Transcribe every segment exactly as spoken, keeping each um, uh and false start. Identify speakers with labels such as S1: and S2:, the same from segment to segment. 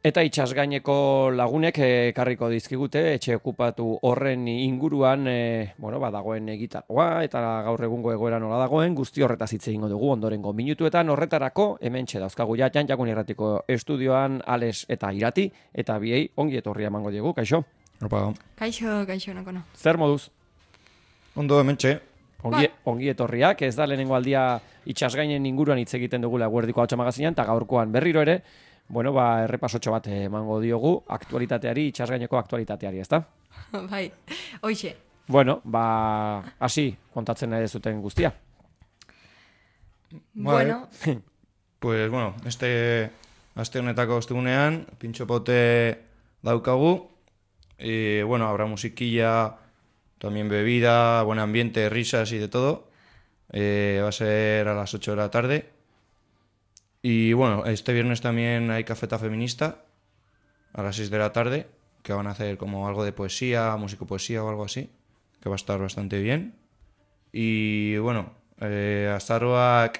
S1: Eta itsasgaineko lagunek ekarriko dizkigute etxe okupatu horren inguruan e, bueno, badagoen egitargoa eta gaur egungo egoera nola dagoen guzti horretaz hitz egingo dugu ondorengo minutuetan. Horretarako hementxe dauzkagu ja Jan Jakun Irratiko estudioan Ales eta Irati eta biei ongi etorria emango diegu. Kaixo.
S2: Opa.
S3: Kaixo, kaixo nakono.
S1: Zer moduz?
S2: Ondo hementxe.
S1: Ongi, ongi etorriak, ez da lehenengo aldia itsasgainen inguruan hitz egiten dugula Eguerdiko Ahotsa magazinean eta gaurkoan berriro ere bueno, ba, errepasotxo bat emango diogu aktualitateari, itsasgaineko aktualitateari, ezta?
S3: Bai, hoixe.
S1: Bueno, ba, hasi kontatzen nahi zuten guztia.
S3: Bueno.
S2: Pues, bueno, este aste honetako ostegunean, pintxopote daukagu. Y, bueno, habrá musiquilla, también bebida, buen ambiente, risas y de todo. Eh, va a ser a las ocho de la tarde. Y bueno, este viernes también hay cafeta feminista a las seis de la tarde, que van a hacer como algo de poesía, musicopoesía o algo así, que va a estar bastante bien. Y bueno, eh, azaroak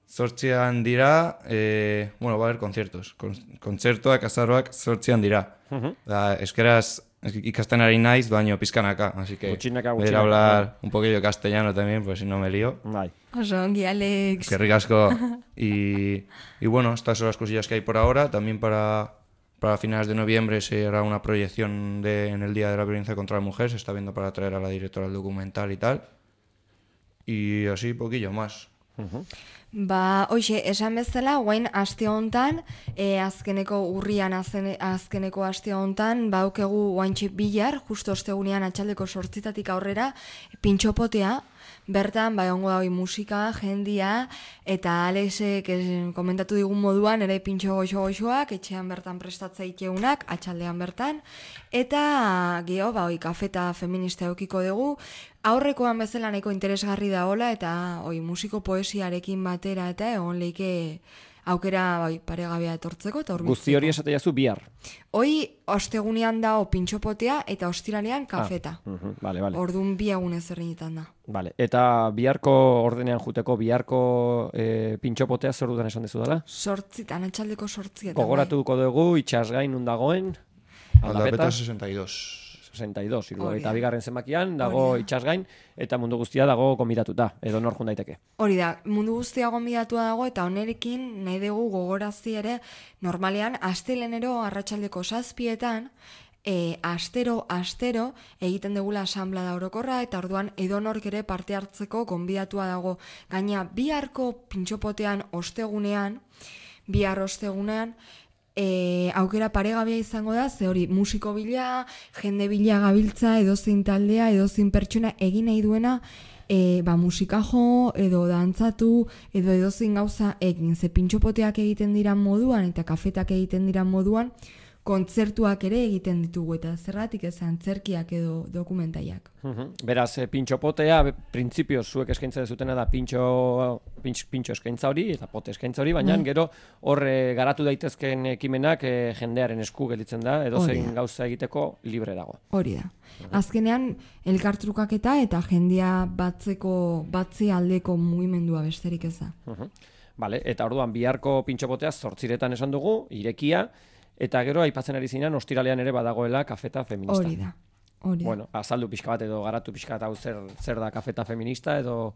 S2: zortzian dira, eh, bueno, va a haber conciertos. Con, kontzertuak azaroak zortzian dira. Uh-huh. Da, eskeraz ikasten ari naiz, baino pizkanaka, así que
S1: Gutxinaka,
S2: voy a ir a hablar un poquillo de castellano también, pues si no me lío.
S1: Bai.
S3: Oso ongi, Alex.
S2: Qué ricasco. Y, y bueno, estas son las cosillas que hay por ahora. También para, para finales de noviembre se hará una proyección de, en el Día de la Violencia contra la Mujer. Se está viendo para traer a la directora del documental y tal. Y así poquillo más.
S1: Uh-huh.
S3: Ba, hoxe, esan bezala, guain aste hontan, e, azkeneko urrian azken, azkeneko aste hontan, baukegu guaintxe bilar, justo ostegunean atxaldeko sortzitatik aurrera, pintxopotea, bertan, bai ongo dago musika, jendia, eta Alexek komentatu digun moduan, ere pintxo goxo-goxoak, etxean bertan prestatzaikeunak, atxaldean bertan, eta geho, ba, oi, kafeta feminista eukiko dugu, aurrekoan bezala nahiko interesgarri da hola, eta oi, musiko poesiarekin batera, eta egon leike aukera bai, paregabea etortzeko eta hurbiltzeko.
S1: Guzti hori esate jazu bihar.
S3: Hoi ostegunean da pintxopotea eta ostiralean kafeta.
S1: Ah, uh-huh, vale, vale.
S3: Orduan bi egunez erreinetan da.
S1: Vale. Eta biharko ordenean juteko, biharko e, pintxopotea zer dudan esan dezu dela?
S3: Sortzitan, atxaldeko sortzietan.
S1: Gogoratuko dugu, itsasgain nun dagoen?
S2: Aldapeta sesenta y dos.
S1: sesenta y dos, eta bigarren zenbakian dago itsasgain eta mundu guztia dago gonbidatuta, edo nor jun daiteke.
S3: Hori da, mundu guztia gonbidatua dago eta honerekin nahi dugu gogorazi ere normalean astelenero arratsaldeko zazpietan e, astero astero egiten dugula asanblada orokorra eta orduan edonork ere parte hartzeko gonbidatua dago. Gaina biharko pintxopotean ostegunean, bihar ostegunean E, aukera paregabea izango da, ze hori musiko bila, jende bila gabiltza, edozein taldea, edozein pertsona egin nahi duena, e, ba, musika jo, edo dantzatu, edo edozein gauza egin. Ze pintxopoteak egiten dira moduan, eta kafetak egiten dira moduan, kontzertuak ere egiten ditugu, eta zergatik ez antzerkiak edo dokumentaiak.
S1: Uh-huh. Beraz, e, pintxopotea, printzipio zuek eskaintza dezutena da pintxo, pintxo, pintxo eskaintza hori, eta pote eskaintza hori, baina mm. gero horre garatu daitezken ekimenak e, jendearen esku gelditzen da, edo zein gauza egiteko libre dago.
S3: Hori da. Uh-huh. Azkenean, elkartrukaketa eta jendia batzeko, batzi aldeko mugimendua besterik ez da.
S1: Uh-huh. Vale, eta orduan biharko pintxopotea zortziretan esan dugu, irekia, eta gero aipatzen ari zinan ostiralean ere badagoela kafeta feminista.
S3: Hori da. Hori da.
S1: Bueno, azaldu pixka bat edo garatu pixka bat hau zer, zer da kafeta feminista edo...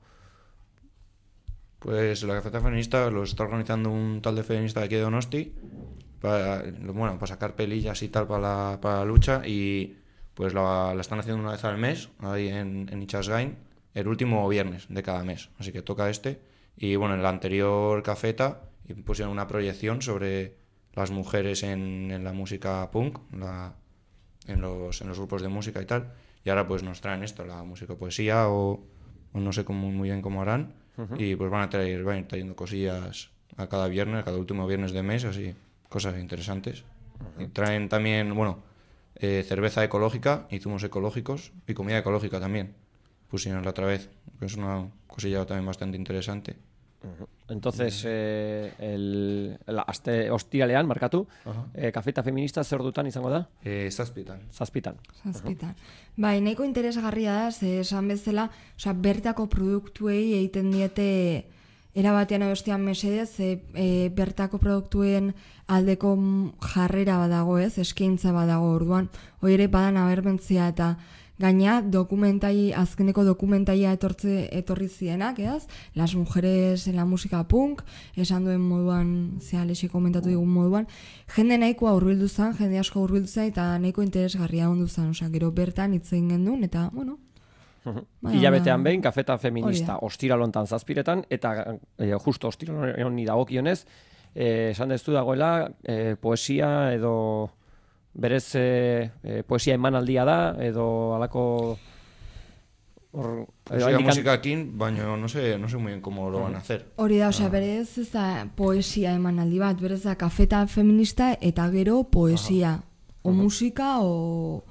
S2: Pues la cafeta feminista lo está organizando un tal de feminista de aquí de Donosti para, bueno, para sacar pelillas y tal para la, para la lucha y pues la, la están haciendo una vez al mes ahí en, en Itsasgain, el último viernes de cada mes, así que toca este y bueno, en la anterior cafeta pusieron una proyección sobre las mujeres en, en la música punk, la, en, los, en los grupos de música y tal, y ahora pues nos traen esto, la música poesía o, o no sé cómo, muy bien cómo harán, uh-huh. Y pues van a traer, van a ir trayendo cosillas a cada viernes, cada último viernes de mes, así, cosas interesantes. Uh-huh. Y traen también, bueno, eh, cerveza ecológica y zumos ecológicos y comida ecológica también, pusieron la otra vez, que es una cosilla también bastante interesante.
S1: Uh-huh. Entonces, eh, el, el aste ostiralean, markatu, uh-huh. eh, kafeta feminista zer dutan izango da?
S2: Eh, zazpitan.
S1: Zazpitan.
S3: Zazpitan. Uh-huh. Bai, nahiko interesgarria da, ze esan bezala, osea, bertako produktuei egiten diete era batean bestean mesedez, e, e, bertako produktuen aldeko jarrera badago ez, eskaintza badago orduan, hori ere badan aberbentzia eta gaina dokumentai, azkeneko dokumentaia etortze, etorri zienak, ez? Las mujeres en la música punk, esan duen moduan, zea lexe komentatu digun moduan, jende nahikoa hurbildu zen, jende asko hurbildu zen, eta nahiko interesgarria ondu zen, osea, gero bertan hitz egin gendun, eta, bueno,
S1: hilabetean behin, kafeta feminista ostiralontan zazpiretan, eta e, justo ostiralon honi dagokionez, e, esan dezu dagoela, e, poesia edo berez e, e, poesia emanaldia da, edo alako... Or,
S2: poesia indikan... musikakin, baina no sé, no sé muy bien cómo lo van a hacer.
S3: Hori da, osea, berez ez da poesia emanaldi bat, berez da kafeta feminista eta gero poesia, Aha. o musika, o...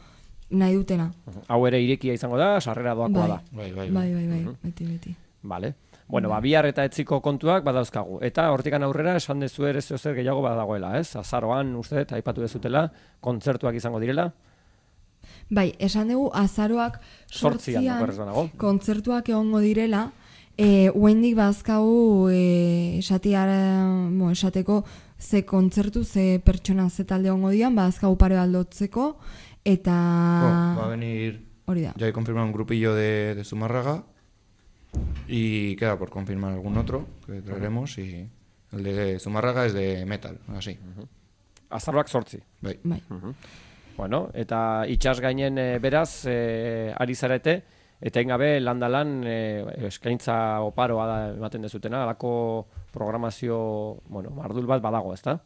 S3: nahi dutena.
S1: Hau ere irekia izango da, sarrera doakoa
S3: bai.
S1: da.
S2: Bai, bai,
S3: bai. Bai, bai, bai, beti, beti.
S1: Vale. Bueno, ba, bihar eta etziko kontuak badauzkagu. Eta hortikan aurrera esan dezu ere zer gehiago badagoela, ez? Azaroan, uste, eta aipatu dezutela, kontzertuak izango direla.
S3: Bai, esan dugu azaroak sortzian kontzertuak egongo direla, e, uendik bazkagu e, esatiara, bo, esateko ze kontzertu, ze pertsona, ze talde egongo dian, bazkagu pare aldotzeko, eta...
S2: Oh, va a venir, ya he confirmado un grupillo de, de Zumárraga y queda por confirmar algún otro que traeremos y el de Zumárraga es de metal, así. Uh-huh.
S1: Azaroak sortzi.
S2: Bai.
S3: Bai.
S1: Uh-huh. Bueno, eta itxas gainen e, beraz e, ari zarete, eta ingabe landalan e, eskaintza oparoa da ematen dezutena, alako programazio, bueno, mardul bat badago, ezta?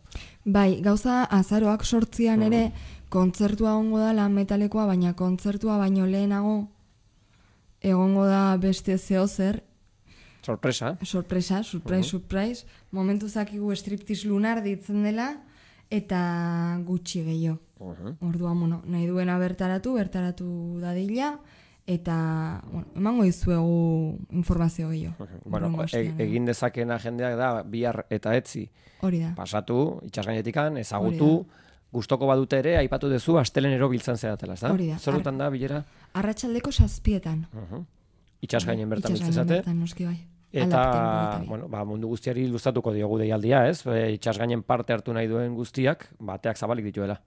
S3: Bai, gauza azaroak sortzian ere, kontzertua egongo da lan metalekoa, baina kontzertua baino lehenago egongo da beste zehozer.
S1: Sorpresa.
S3: Sorpresa, surprise, uh-huh. surprise. Momentu zakigu striptease lunar ditzen dela, eta gutxi gehiago. Uh-huh. Orduan, bueno, nahi duena bertaratu, bertaratu dadila, eta bueno, emango dizuegu informazio gehiago.
S1: Uh-huh. Bueno, e- egin dezakena jendeak da, bihar eta etzi.
S3: Hori da.
S1: Pasatu, itxasgainetikan, ezagutu, gustoko badute ere, aipatu duzu, astelenero biltzen zeratela, ez da?
S3: Hori da.
S1: Zerutan da, bilera?
S3: Arratsaldeko zazpietan.
S1: Uh-huh. Itxasgainen bertan biltzen
S3: zate.
S1: Itxasgainen
S3: bertan, noski bai.
S1: Eta, bueno, ba, mundu guztiari luzatuko diogu deialdia, ez? E, itxasgainen parte hartu nahi duen guztiak, bateak zabalik dituela.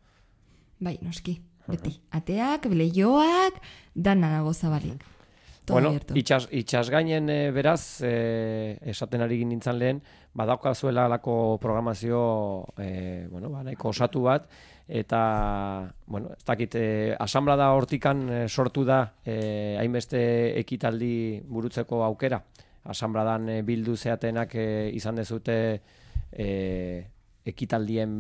S3: Bai, noski, beti. Uh-huh. Ateak, leioak, dana dago zabalik. Todo
S1: bueno,
S3: itxas,
S1: itxasgainen e, beraz, e, esaten ari nintzen lehen, badaukazuela alako programazio, e, bueno, ba, nahiko osatu bat, eta, bueno, ez dakit, e, asanblada hortikan e, sortu da e, hainbeste ekitaldi burutzeko aukera. Asanbladan e, bildu zeatenak e, izan dezute e, ekitaldien,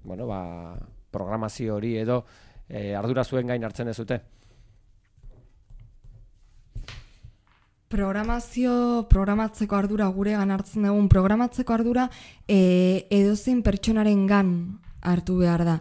S1: bueno, ba, programazio hori edo e, ardura zuen gain hartzen dezute.
S3: Programazio, programatzeko ardura gure gan hartzen dugun, programatzeko ardura e, edozein pertsonaren gan hartu behar da.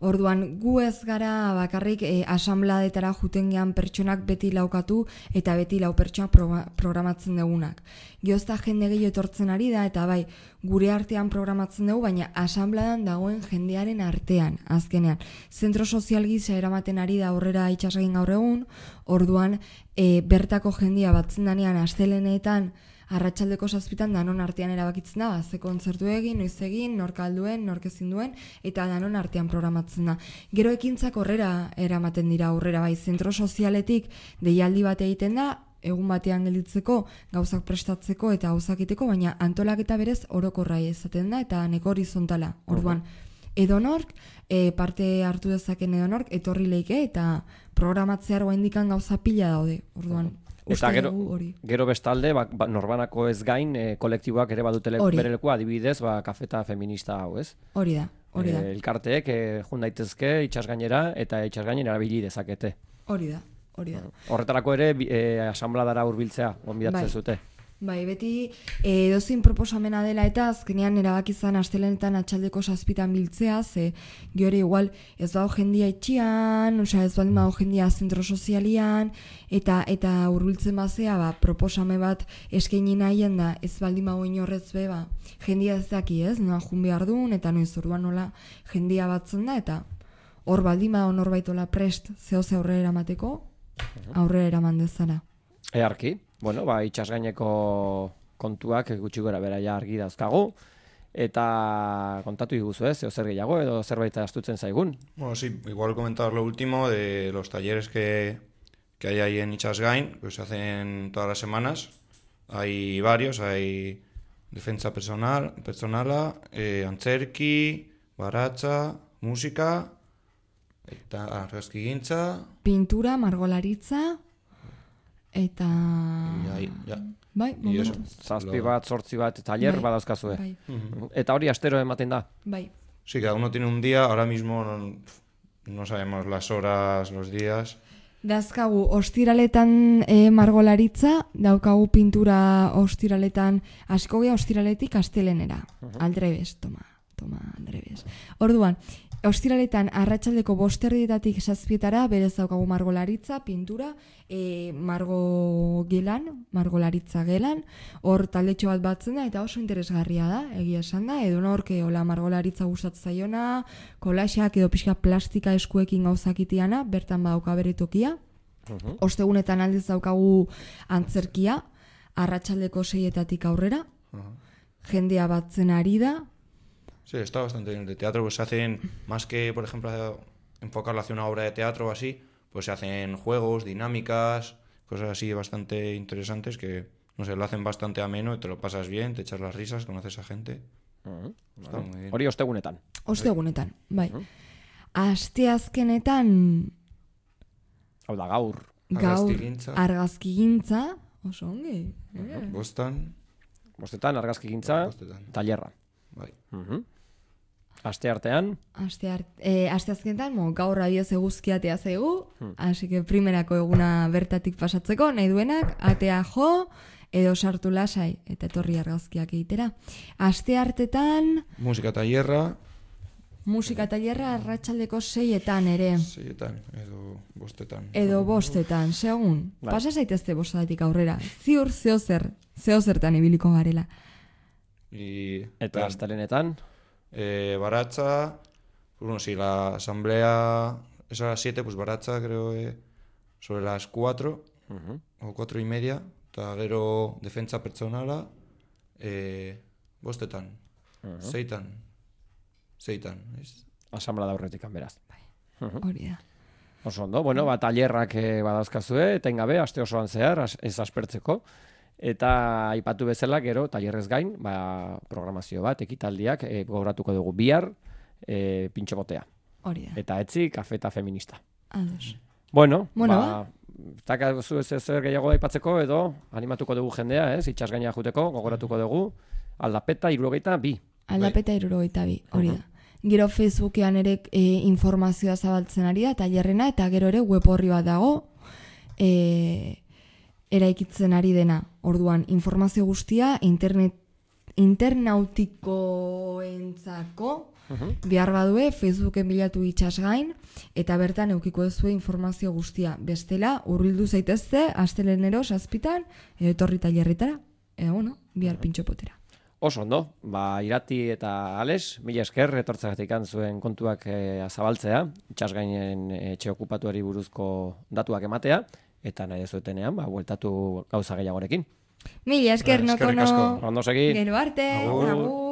S3: Orduan, gu ez gara bakarrik e, asanbladetara juten gehan pertsonak beti laukatu eta beti lau pertsona pro, programatzen dugunak. Giozta jende gehiago etortzen ari da eta bai, gure artean programatzen dugu, baina asanbladan dagoen jendearen artean, azkenean. Zentro sozial gisa eramaten ari da aurrera itxasgain gaur egun, orduan e, bertako jendia batzen danean astelenetan arratsaldeko zazpitan danon artean erabakitzen da, ze kontzertu egin, noiz egin, nork alduen, nork ezin duen, eta danon artean programatzen da. Gero ekintzak horrera eramaten dira aurrera, bai, zentro sozialetik deialdi bat egiten da, egun batean gelditzeko, gauzak prestatzeko eta gauzakiteko, baina antolaketa berez orokorra izaten da, eta neko horizontala. Orduan, edonork, e, parte hartu dezaken edonork, etorri leike, eta programatzear indikan gauza pila daude. Orduan,
S1: eta gero, gero bestalde, ba, ba, norbanako ez gain, e, kolektiboak ere badutele bere lekua, adibidez, ba, kafeta feminista hau, ez?
S3: Hori da, hori da.
S1: E, elkarteek e, jun daitezke itxasgainera eta itxasgainen erabili dezakete.
S3: Hori da, hori da.
S1: Horretarako ere, e, asanbladara hurbiltzea, gonbidatzen zute.
S3: Bai, beti edozein proposamena dela eta azkenean erabakizan astelenetan atxaldeko zazpitan biltzea, ze gero igual ez bau jendia etxian, osea ez baldin bau jendia zentro sozialian, eta eta hurbiltzen bazea, ba, proposame bat eskaini nahien da, ez baldin bau inorrez be, ba, jendia ez daki ez, noa jun behar duen, eta noiz orduan nola jendia batzen da, eta hor baldin bau norbaitola prest zehoze aurrera eramateko, aurrera eraman dezara.
S1: Earki. Bueno, ba, itxasgaineko kontuak gutxi gora bera ja argi dauzkagu, eta kontatu iguzu ez, zer gehiago edo zerbait astutzen zaigun.
S2: Bueno, sí, igual comentar lo último de los talleres que, que hay ahí en Itxasgain, que se hacen todas las semanas. Hay varios, hay defensa personal, personala, eh, antzerki, baratza, musika, eta argazkigintza.
S3: Pintura, margolaritza, eta...
S2: Ja, ja.
S3: Bai,
S2: Y eso,
S3: momentu.
S1: Zazpi
S2: lo-
S1: bat, zortzi bat taller
S3: Bai,
S1: badauzkazue.
S3: Bai,
S1: Eta hori astero ematen da.
S3: bai.
S2: Sí, cada uno tiene un día, ahora mismo no, no sabemos las horas, los días.
S3: Dazkagu ostiraletan e, margolaritza, daukagu pintura ostiraletan, hasiko gea ostiraletik astelenera. Aldrebes, toma, toma, aldrebes. Orduan, ostiraletan arratsaldeko bosterdietatik zazpietara, berez daukagu margolaritza, pintura, e, margo gelan, margolaritza gelan, hor taldetxo bat batzen da, eta oso interesgarria da, egia esan da, edo norke hola margolaritza gustatzen zaiona, kolaxak edo pixka plastika eskuekin gauzakitiana, bertan badauka bere tokia. Ostegunetan aldiz daukagu antzerkia, arratsaldeko seietatik aurrera, jendea batzen ari da.
S2: Sí, está bastante bien. De teatro pues se hacen, más que, por ejemplo, enfocarlo hacia una obra de teatro o así, pues se hacen juegos, dinámicas, cosas así bastante interesantes que, no sé, lo hacen bastante ameno y te lo pasas bien, te echas las risas, conoces a gente. Está muy bien.
S1: Hori ostegunetan.
S3: Ostegunetan, bai. Asteazkenetan
S1: Hau da, gaur.
S3: gaur
S2: Argazkigintza.
S3: argazkigintza, oso ongi. eh.
S2: Bostan,
S1: Bostetan, argazkigintza,
S2: bostetan.
S1: tailerra.
S2: Bai.
S1: Mhm. Aste artean,
S3: Aste art, eh, asteazkenetan, mo, gaur abioz eguzkiatea zaigu, así que primerako eguna bertatik pasatzeko, nahi duenak, atea jo, edo sartu lasai, eta etorri argazkiak egitera. Aste hartetan,
S2: Musika tailerra,
S3: musika tailerra arratsaldeko seietan ere,
S2: seietan, edo bostetan.
S3: edo bostetan, segun.
S1: Bai.
S3: Pasa zaitezte bostatik aurrera, ziur zeozer, zeozertan ibiliko garela.
S2: Y
S1: eta
S2: plan,
S1: astelenetan,
S2: eh, baratza, pues bueno, si la asamblea es a las siete, pues baratza creo que sobre las cuatro
S1: mhm.
S2: o cuatro y media, eta gero defentsa pertsonala, eh, bostetan, zeitan, zeitan, ez?
S1: asamblea da aurretik beraz.
S3: Hori da.
S1: Oso ondo, bueno, ba, tailerrak eh, badauzkazue, etengabe, aste osoan zehar, as- ez aspertzeko. Eta aipatu bezala, gero, tailerrez gain, ba, programazio bat, ekitaldiak, e, gogoratuko dugu bihar, e, pintxo botea.
S3: Hori da.
S1: Eta etzi, kafeta feminista.
S3: Ados.
S1: Bueno,
S3: Bueno,
S1: ba, zakazu ez zer gehiago aipatzeko edo animatuko dugu jendea, ez? Itxas gaina juteko, gogoratuko dugu, aldapeta, irurogeita, bi.
S3: Aldapeta irurogeita bi, hori da. Gero Facebookean ere e, informazioa zabaltzen ari da, tailerrena, eta gero ere web horri bat dago, e, eraikitzen ari dena. Orduan, informazio guztia internet internautikoentzako behar badue Facebooken bilatu itxasgain, eta bertan eukiko duzue informazio guztia. Bestela, hurbildu zaitezte, astelenero, zazpitan, edo etorri tailerretara, edo, bueno, bihar pintxopotera.
S1: Oso ondo, ba, Irati eta Ales, mila esker, etortzagatik zuen kontuak e, zabaltzea, itxas gainen etxe okupatuari buruzko datuak ematea, eta nahi dezuetenean, ba, bueltatu gauza gehiagorekin.
S3: Mila esker,
S2: Ba,
S3: noko
S2: eskerrik
S3: no.
S2: asko.
S1: Ondo segi.
S3: Gero arte,
S2: Agur.
S3: agur.